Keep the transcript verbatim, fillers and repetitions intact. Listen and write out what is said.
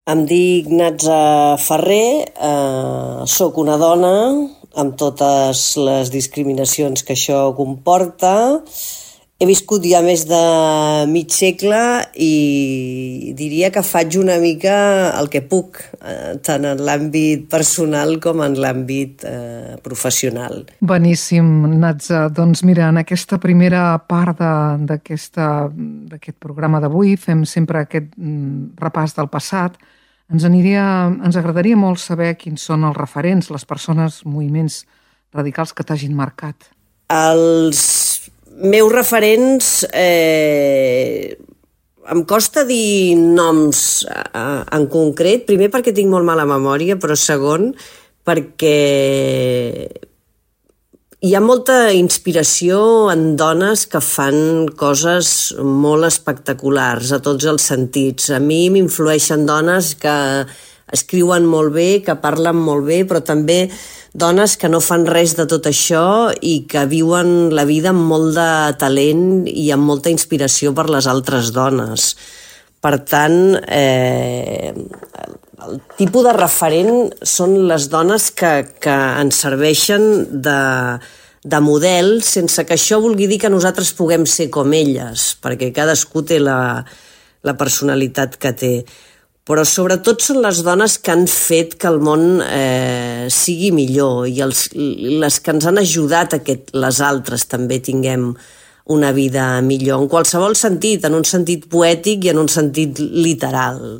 Em dic Natza Ferrer, eh, sóc una dona amb totes les discriminacions que això comporta. He viscut ja més de mig segle i diria que faig una mica el que puc, eh, tant en l'àmbit personal com en l'àmbit eh, professional. Beníssim, Natza. Doncs mira, en aquesta primera part d'aquest programa d'avui fem sempre aquest repàs del passat. Ens, aniria, ens agradaria molt saber quins són els referents, les persones, moviments radicals que t'hagin marcat. Els meus referents, eh, em costa dir noms eh, en concret, primer perquè tinc molt mala memòria, però segon perquè hi ha molta inspiració en dones que fan coses molt espectaculars a tots els sentits. A mi m'influeixen dones que escriuen molt bé, que parlen molt bé, però també dones que no fan res de tot això i que viuen la vida amb molt de talent i amb molta inspiració per les altres dones. Per tant, eh, el tipus de referent són les dones que, que ens serveixen de, de model, sense que això vulgui dir que nosaltres puguem ser com elles, perquè cadascú té la, la personalitat que té. Però sobretot són les dones que han fet que el món eh, sigui millor i els, les que ens han ajudat a que les altres també tinguem una vida millor, en qualsevol sentit, en un sentit poètic i en un sentit literal.